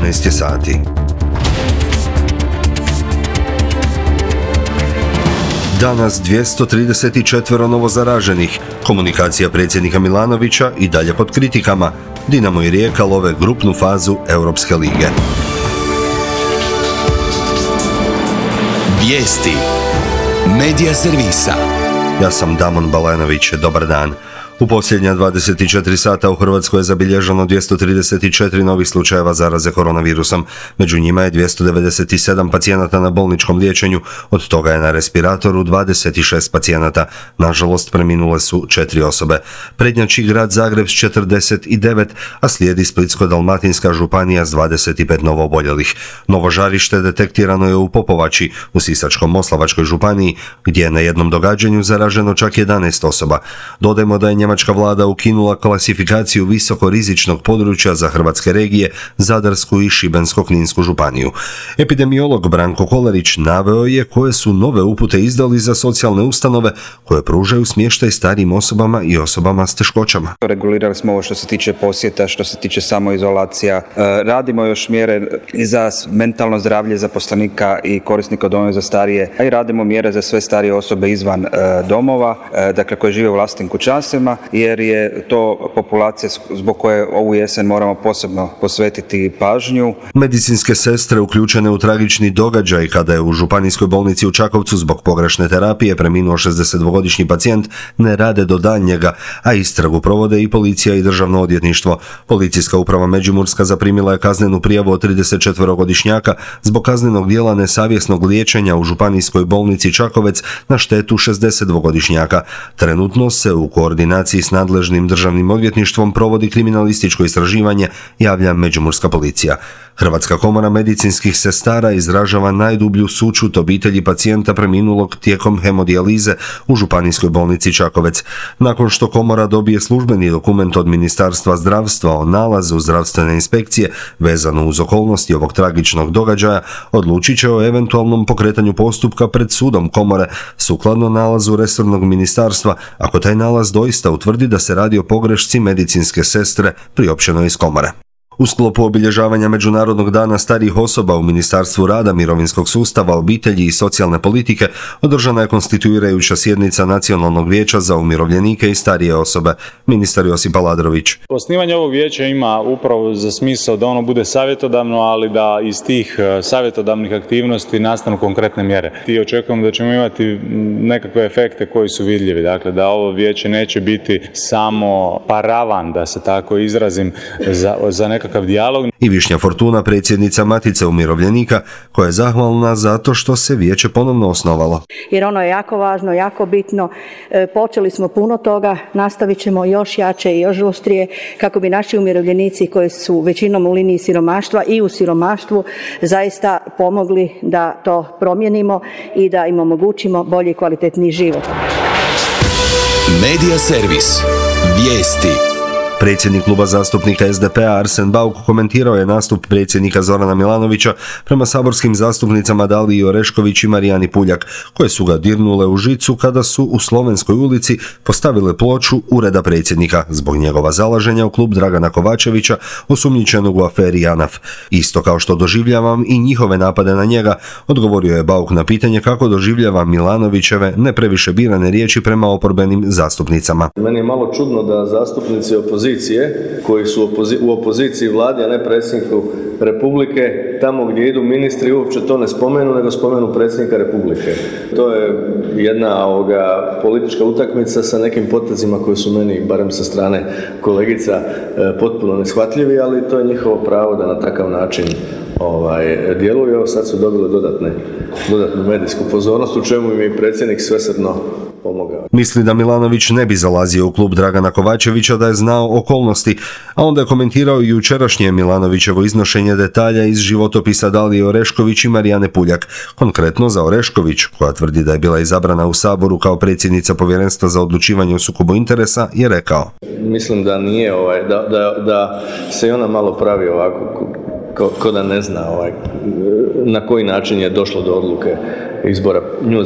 12 sati. Danas 234 novozaraženih. Komunikacija predsjednika Milanovića i dalje pod kritikama. Dinamo i Rijeka love grupnu fazu Europske lige. Vijesti Medija servisa. Ja sam Damon Balenović, dobar dan. U posljednja 24 sata u Hrvatskoj je zabilježeno 234 novih slučajeva zaraze koronavirusom. Među njima je 297 pacijenata na bolničkom liječenju, od toga je na respiratoru 26 pacijenata. Nažalost, preminule su 4 osobe. Prednjači grad Zagreb s 49, a slijedi Splitsko-dalmatinska županija s 25 novooboljelih. Novo žarište detektirano je u Popovači, u Sisačko-moslavačkoj županiji, gdje je na jednom događanju zaraženo čak 11 osoba. Dodajmo da je njemačka vlada ukinula klasifikaciju visokorizičnog područja za hrvatske regije, Zadarsku i Šibensko-kninsku županiju. Epidemiolog Branko Kolarić naveo je koje su nove upute izdali za socijalne ustanove koje pružaju smještaj starijim osobama i osobama s teškoćama. Regulirali smo ovo što se tiče posjeta, što se tiče samoizolacija. Radimo još mjere i za mentalno zdravlje zaposlenika i korisnika domova za starije, a i radimo mjere za sve starije osobe izvan domova, dakle koje žive u vlastitim kućanstvima, jer je to populacija zbog koje ovu jesen moramo posebno posvetiti pažnju. Medicinske sestre uključene u tragični događaj kada je u županijskoj bolnici u Čakovcu zbog pogrešne terapije preminuo 62-godišnji pacijent ne rade do daljnjega, a istragu provode i policija i državno odvjetništvo. Policijska uprava Međimurska zaprimila je kaznenu prijavu od 34-godišnjaka zbog kaznenog djela nesavjesnog liječenja u županijskoj bolnici Čakovec na štetu 62-godišnjaka. Trenutno se u koordinaciji s nadležnim državnim odvjetništvom provodi kriminalističko istraživanje, javlja Međimurska policija. Hrvatska komora medicinskih sestara izražava najdublju sućut obitelji pacijenta preminulog tijekom hemodijalize u županijskoj bolnici Čakovec. Nakon što komora dobije službeni dokument od Ministarstva zdravstva o nalazu zdravstvene inspekcije vezano uz okolnosti ovog tragičnog događaja, odlučit će o eventualnom pokretanju postupka pred sudom komore sukladno nalazu resornog ministarstva, ako taj nalaz doista utvrdi da se radi o pogrešci medicinske sestre priopćenoj iz komore. U sklopu obilježavanja Međunarodnog dana starijih osoba u Ministarstvu rada, mirovinskog sustava, obitelji i socijalne politike održana je konstituirajuća sjednica Nacionalnog vijeća za umirovljenike i starije osobe. Ministar Josip Aladrović. Osnivanje ovog vijeća ima upravo za smisao da ono bude savjetodavno, ali da iz tih savjetodavnih aktivnosti nastanu konkretne mjere. I očekujemo da ćemo imati nekakve efekte koji su vidljivi. Dakle, da ovo vijeće neće biti samo paravan, da se tako izrazim, za nekakav dijalog. I Višnja Fortuna, predsjednica Matice umirovljenika, koja je zahvalna zato što se vijeće ponovno osnovalo. Jer ono je jako važno, jako bitno. Počeli smo puno toga, nastavit ćemo još jače i još žustrije kako bi naši umirovljenici koji su većinom u liniji siromaštva i u siromaštvu zaista pomogli da to promijenimo i da im omogućimo bolji i kvalitetniji život. Medija servis. Vijesti. Predsjednik kluba zastupnika SDP-a Arsen Bauk komentirao je nastup predsjednika Zorana Milanovića prema saborskim zastupnicama Daliji Orešković i Marijani Puljak, koje su ga dirnule u žicu kada su u Slovenskoj ulici postavile ploču ureda predsjednika zbog njegova zalaženja u klub Dragana Kovačevića, osumnjičenog u aferi JANAF. Isto kao što doživljavam i njihove napade na njega, odgovorio je Bauk na pitanje kako doživljava Milanovićeve ne previše birane riječi prema oporbenim zastupnicama. Meni je malo čudno da zastupnici opozicije koji su u opoziciji vladi, a ne predsjedniku Republike, tamo gdje idu ministri uopće to ne spomenu, nego spomenu predsjednika Republike. To je jedna politička utakmica sa nekim potezima koji su meni, barem sa strane kolegica, potpuno neshvatljivi, ali to je njihovo pravo da na takav način djeluju. Evo sad su dobili dodatnu medijsku pozornost, u čemu im je predsjednik svesrdno pomogao. Misli da Milanović ne bi zalazio u klub Dragana Kovačevića da je znao okolnosti, a onda je komentirao i jučerašnje Milanovićevo iznošenje detalja iz životopisa Dalije Orešković i Marijane Puljak. Konkretno za Orešković, koja tvrdi da je bila izabrana u Saboru kao predsjednica Povjerenstva za odlučivanje o sukobu interesa, je rekao: Mislim da nije, da se i ona malo pravi ovako, ko da ne zna na koji način je došlo do odluke izbora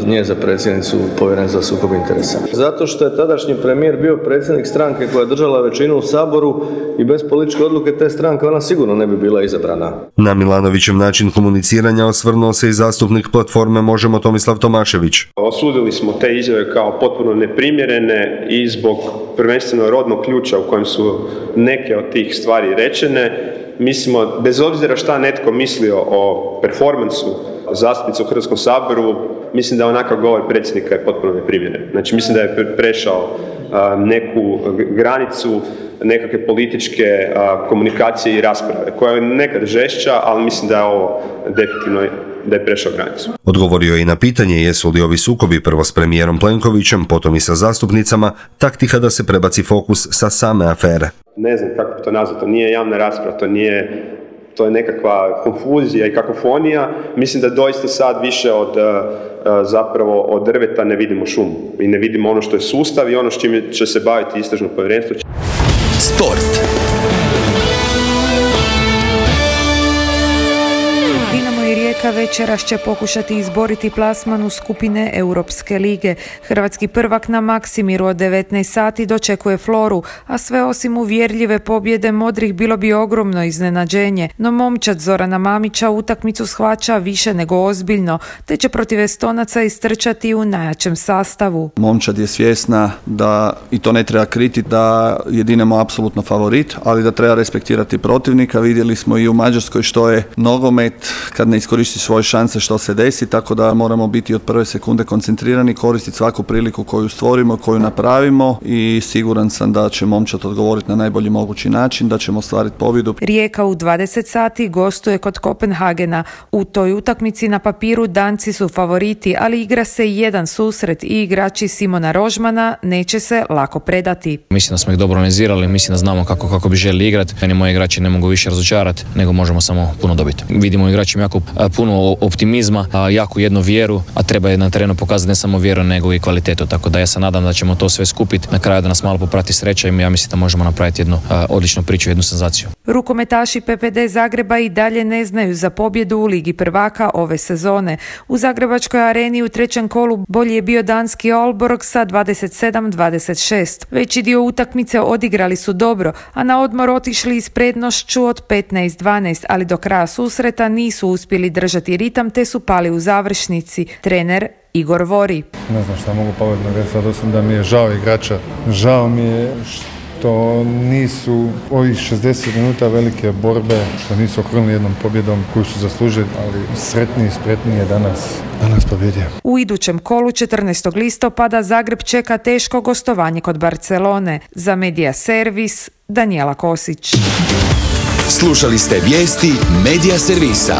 nje za predsjednicu Povjerenstva za sukob interesa. Zato što je tadašnji premijer bio predsjednik stranke koja je držala većinu u Saboru i bez političke odluke te stranke ona sigurno ne bi bila izabrana. Na Milanovićev način komuniciranja osvrnuo se i zastupnik platforme Možemo Tomislav Tomašević. Osudili smo te izjave kao potpuno neprimjerene i zbog prvenstveno rodnog ključa u kojem su neke od tih stvari rečene. Mislimo, bez obzira šta netko mislio o performansu zastupnice u Hrvatskom saboru, mislim da onakav govor predsjednika je potpuno neprimjeren. Znači, mislim da je prešao neku granicu nekakve političke komunikacije i rasprave, koja je nekad žešća, ali mislim da je ovo definitivno da je prešao granicu. Odgovorio je i na pitanje jesu li ovi sukobi prvo s premijerom Plenkovićem, potom i sa zastupnicama, taktika da se prebaci fokus sa same afere. Ne znam kako to nazvati, to nije javna rasprava, to je nekakva konfuzija i kakofonija. Mislim da doista sad više od drveta ne vidimo šumu i ne vidimo ono što je sustav i ono s čim će se baviti istražno povjerenstvo. Sport. Rijeka večeras će pokušati izboriti plasman u skupine Europske lige. Hrvatski prvak na Maksimiru od 19 sati dočekuje Floru, a sve osim uvjerljive pobjede modrih bilo bi ogromno iznenađenje. No momčad Zorana Mamića utakmicu shvaća više nego ozbiljno, te će protiv Estonaca istrčati u najjačem sastavu. Momčad je svjesna da, i to ne treba kriti, da je Dinamo apsolutno favorit, ali da treba respektirati protivnika. Vidjeli smo i u Mađarskoj što je nogomet, kad ne iskoristi svoje šanse što se desi, tako da moramo biti od prve sekunde koncentrirani, koristiti svaku priliku koju stvorimo, koju napravimo i siguran sam da će momčad odgovoriti na najbolji mogući način, da ćemo ostvariti pobjedu. Rijeka u 20 sati gostuje kod Kopenhagena. U toj utakmici na papiru Danci su favoriti, ali igra se jedan susret i igrači Simona Rožmana neće se lako predati. Mislim da smo ih dobro organizirali, mislim da znamo kako bi želi igrati. Meni moji igrači ne mogu više razočarati, nego možemo samo puno dobiti. Vidimo igračima jako puno optimizma, jako jednu vjeru, a treba je na terenu pokazati ne samo vjeru nego i kvalitetu, tako da ja se nadam da ćemo to sve skupiti, na kraju da nas malo poprati sreća i ja mislim da možemo napraviti jednu odličnu priču, jednu senzaciju. Rukometaši PPD Zagreba i dalje ne znaju za pobjedu u Ligi prvaka ove sezone. U Zagrebačkoj areni u trećem kolu bolji je bio danski Aalborg sa 27-26. Veći dio utakmice odigrali su dobro, a na odmor otišli s prednošću od 15-12, ali do kraja susreta nisu uspjeli držati ritam te su pali u završnici. Trener Igor Vori. Ne znam šta mogu pametno reći, sad osim da mi je žao igrača. Žao mi je što nisu ovih 60 minuta velike borbe, što nisu okrunili jednom pobjedom koju su zaslužili, ali sretniji, spretniji je danas pobjedio. U idućem kolu 14. listopada Zagreb čeka teško gostovanje kod Barcelone. Za Medija Servis, Danijela Kosić. Slušali ste vijesti Medija Servisa.